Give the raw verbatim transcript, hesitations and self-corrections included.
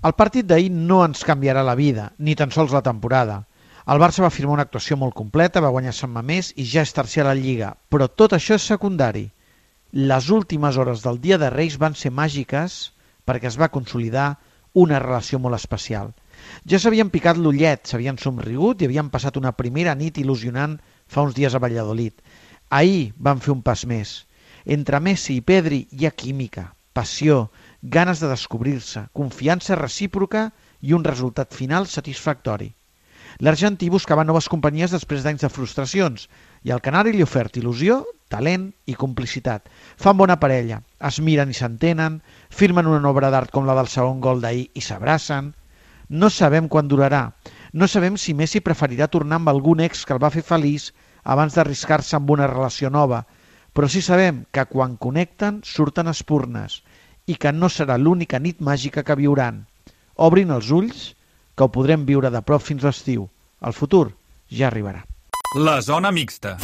El partit d'ahir no ens canviarà la vida, ni tan sols la temporada. El Barça va firmar una actuació molt completa, va guanyar Sant Mamés i ja és tercer a la Lliga, però tot això és secundari. Les últimes hores del dia de Reis van ser màgiques perquè es va consolidar una relació molt especial. Ja s'havien picat l'ullet, s'havien somrigut i havien passat una primera nit il·lusionant fa uns dies a Valladolid. Ahir van fer un pas més. Entre Messi i Pedri hi ha química, passió, ganes de descobrir-se, confiança recíproca i un resultat final satisfactori. L'argentí buscava noves companyies després d'anys de frustracions i el canari li ha ofert il·lusió, talent i complicitat. Fan bona parella, es miren i s'entenen, firmen una obra d'art com la del segon gol d'ahir i s'abracen. No sabem quan durarà, no sabem si Messi preferirà tornar amb algun ex que el va fer feliç abans d'arriscar-se amb una relació nova, però sí sabem que quan connecten surten espurnes i que no serà l'única nit màgica que viuran. Obrin els ulls, que ho podrem viure de prop fins l'estiu. El futur ja arribarà. La zona mixta.